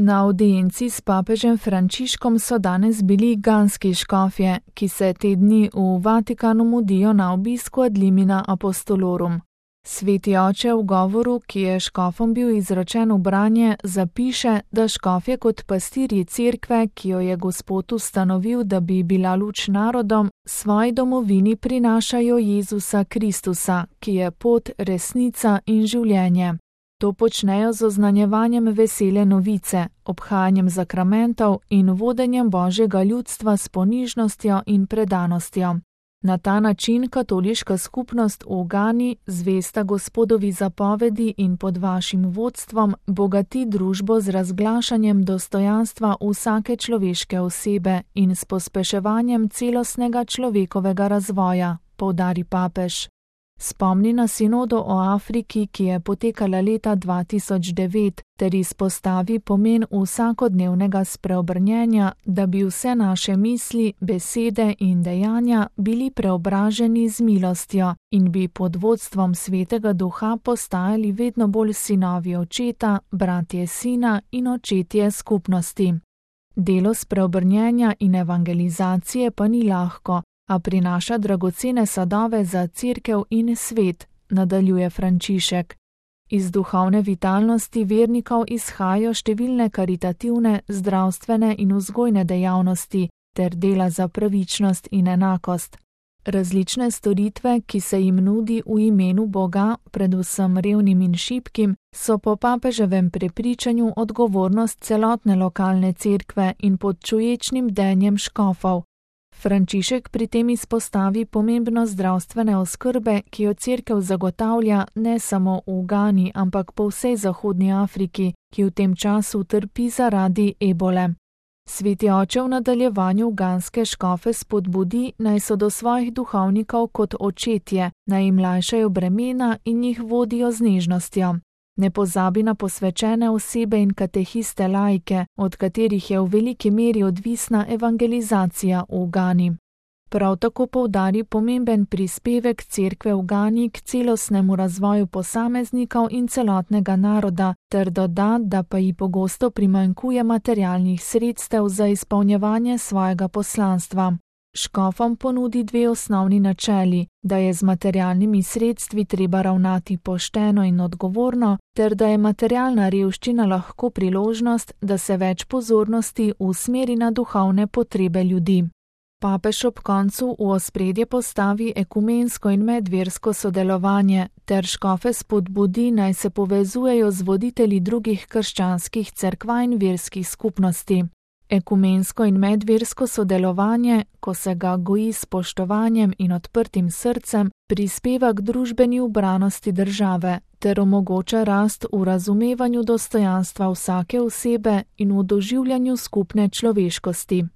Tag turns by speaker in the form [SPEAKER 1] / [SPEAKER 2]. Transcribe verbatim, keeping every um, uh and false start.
[SPEAKER 1] Na avdienci s papežem Frančiškom so danes bili ganski škofje, ki se te dni v Vatikanu mudijo na obisku ad limina apostolorum. Sveti oče v govoru, ki je škofom bil izročen v branje, zapiše, da škofje kot pastirji cerkve, ki jo je Gospod ustanovil, da bi bila luč narodom, svoji domovini prinašajo Jezusa Kristusa, ki je pot, resnica in življenje. To počnejo z oznanjevanjem vesele novice, obhajanjem zakramentov in vodenjem Božjega ljudstva s ponižnostjo in predanostjo. Na ta način katoliška skupnost v Gani, zvesta Gospodovi zapovedi in pod vašim vodstvom, bogati družbo z razglašanjem dostojanstva vsake človeške osebe in s pospeševanjem celostnega človekovega razvoja, poudari papež. Spomni na sinodo o Afriki, ki je potekala leta dva tisoč devet, ter izpostavi pomen vsakodnevnega spreobrnjenja, da bi vse naše misli, besede in dejanja bili preobraženi z milostjo in bi pod vodstvom Svetega Duha postajali vedno bolj sinovi očeta, bratje sina in očetje skupnosti. Delo spreobrnjenja in evangelizacije pa ni lahko, a prinaša dragocene sadove za cerkev in svet, nadaljuje Frančišek. Iz duhovne vitalnosti vernikov izhajajo številne karitativne, zdravstvene in vzgojne dejavnosti ter dela za pravičnost in enakost. Različne storitve, ki se jim nudi v imenu Boga, predvsem revnim in šibkim, so po papeževem prepričanju odgovornost celotne lokalne cerkve in pod čuječnim bdenjem škofov. Frančišek pri tem izpostavi pomembnost zdravstvene oskrbe, ki jo cerkev zagotavlja ne samo v Gani, ampak po vsej zahodni Afriki, ki v tem času trpi zaradi ebole. Sveti oče v nadaljevanju ganske škofe spodbudi, naj so do svojih duhovnikov kot očetje, naj jim lajšajo bremena in jih vodijo z nežnostjo. Ne pozabi na posvečene osebe in katehiste laike, od katerih je v veliki meri odvisna evangelizacija v Gani. Prav tako poudari pomemben prispevek cerkve v Gani k celostnemu razvoju posameznikov in celotnega naroda, ter doda, da pa ji pogosto primanjkuje materialnih sredstev za izpolnjevanje svojega poslanstva. Škofom ponudi dve osnovni načeli, da je z materialnimi sredstvi treba ravnati pošteno in odgovorno, ter da je materialna revščina lahko priložnost, da se več pozornosti usmeri na duhovne potrebe ljudi. Papež ob koncu v ospredje postavi ekumensko in medversko sodelovanje, ter škofe spodbudi, naj se povezujejo z voditelji drugih krščanskih cerkva in verskih skupnosti. Ekumensko in medversko sodelovanje, ko se ga goji s spoštovanjem in odprtim srcem, prispeva k družbeni ubranosti države ter omogoča rast v razumevanju dostojanstva vsake osebe in v doživljanju skupne človeškosti.